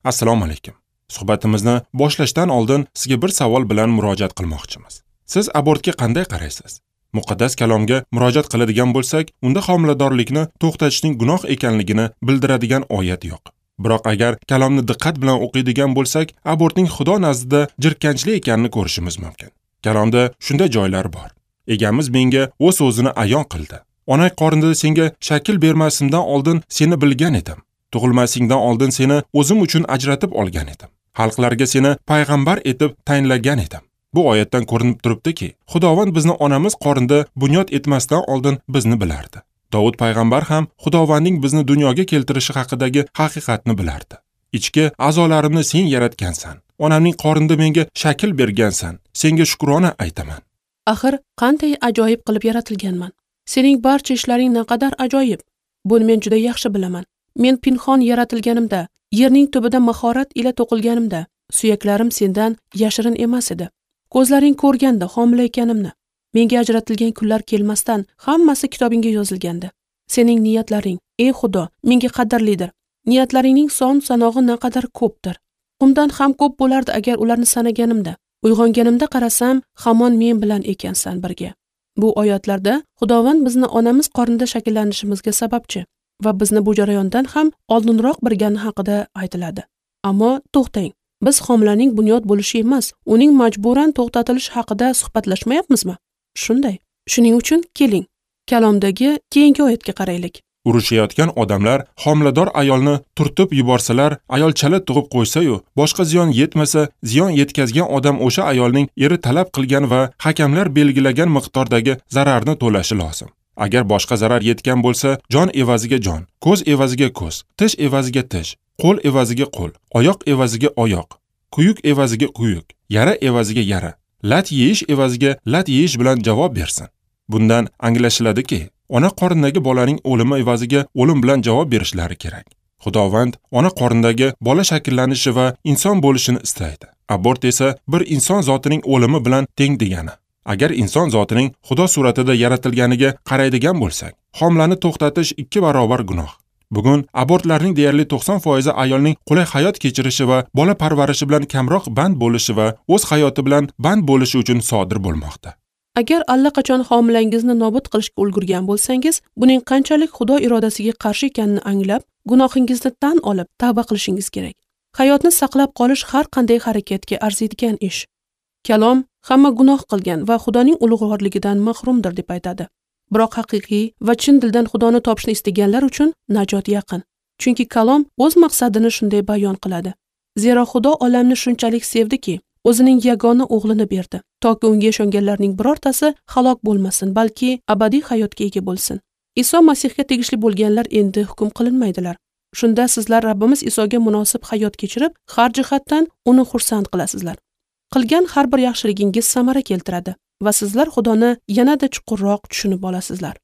Assalomu alaykum. Suhbatimizni boshlashdan oldin sizga bir savol bilan murojaat qilmoqchimiz. Siz abortga qanday qaraysiz? Muqaddas kalomga murojaat qiladigan bo'lsak, unda homiladorlikni to'xtatishning gunoh ekanligini bildiradigan oyat yo'q. Biroq agar kalomni diqqat bilan o'qiydigan bo'lsak, abortning Xudo nazdida jirkanchli ekanini ko'rishimiz mumkin. Kalomda shunday joylar bor. Egamiz menga o'z so'zini ayon qildi. Onang qornida senga shakl bermasimdan oldin seni bilgan edim. Tug'ilmasingdan oldin seni o'zim uchun ajratib olgan edim. Xalqlarga seni payg'ambar etib tayinlagan edim. Bu oyatdan ko'rinib turibdiki, Xudovand bizni onamiz qornida bunyod etmasdan oldin bizni bilardi. Davud payg'ambar ham Xudovandning bizni dunyoga keltirishi haqidagi haqiqatni bilardi. Ichki a'zolarimni sen yaratgansan. Onamning qornida menga shakl bergansan. Senga shukrona aytaman. Axir qanday ajoyib qilib yaratilganman. Sening barcha ishlaring naqadar ajoyib. Buni men juda yaxshi bilaman. Men pinhon yaratilganimda, yerning tubida mahorat ila to'qilganimda, suyaklarim sendan yashirin emas edi. Ko'zlaring ko'rganda homila ekanimni, menga ajratilgan kunlar kelmasdan hammasi kitobingga yozilgandi. Sening niyatlaring, ey Xudo, menga qadrlidir. Niyatlaringning son sanog'i naqadar ko'pdir. Qumdan ham ko'p bo'lardi agar ularni sanaganimda. Uyg'onganimda qarasam, hamon men bilan ekansan birga. Bu oyatlarda Xudovand bizni onamiz qornida shakllanishimizga sababchi va bizni bu jarayondan ham oldinroq bilgani haqida aytiladi. Ammo to'xtang, biz homilaning bunyod bo'lishi emas, uning majburan to'xtatilishi haqida suhbatlashmayapmizmi? Shunday. Shuning uchun keling, kalomdagi keyingi oyatga qaraylik. Urushayotgan odamlar homilador ayolni turtib yuborsalar, ayol chala tug'ib qo'ysa-yu, boshqa ziyon yetmasa, ziyon yetkazgan odam o'sha ayolning eri talab qilgan va hakamlar belgilagan miqdordagi zararni to'lashi lozim. Agar boshqa zarar yetgan bo'lsa, jon evaziga jon, ko'z evaziga ko'z, tish evaziga tish, qo'l evaziga qo'l, oyoq evaziga oyoq, kuyuk evaziga kuyuk, yara evaziga yara, lat yeyish evaziga lat yeyish bilan javob bersin. Bundan anglashiladiki, ona qornidagi bolaning o'limi evaziga o'lim bilan javob berishlari kerak. Xudovand ona qornidagi bola shakllanishi va inson bo'lishini istaydi. Abort esa bir inson zotining o'limi bilan teng degani. Agar inson zotining Xudo suratida yaratilganiga qaraydigan bo'lsak, homilani to'xtatish 2 barobar gunoh. Bugun abortlarning deyarli 90% ayolning qulay hayot kechirishi va bola parvarishi bilan kamroq band bo'lishi va o'z hayoti bilan band bo'lishi uchun sodir bo'lmoqda. Agar allaqachon homilangizni nobud qilishga ulgurgan bo'lsangiz, buning qanchalik Xudo irodasiga qarshi ekanini anglab, gunohingizni tan olib, tavba qilishingiz kerak. Hayotni saqlab qolish har qanday harakatga arziydigan ish. Kalom hamma gunoh qilgan va Xudoning ulug'vorligidan mahrumdir deb aytadi. Biroq haqiqiy va chin dildan Xudoni topishni istaganlar uchun najot yaqin. Chunki kalom o'z maqsadini shunday bayon qiladi. Zero Xudo olamni shunchalik sevdiki, o'zining yagona o'g'lini berdi, toki unga ishonganlarning birortasi halok bo'lmasin, balki abadiy hayotga ega bo'lsin. Iso Masihga tegishli bo'lganlar endi hukm qilinmaydilar. Shunda sizlar Rabbimiz Isoga munosib hayot kechirib, har jihatdan uni xursand qilasizlar. Qilgan har bir yaxshiligingiz samara keltiradi va sizlar Xudoni yanada chuqurroq tushunib olasizlar.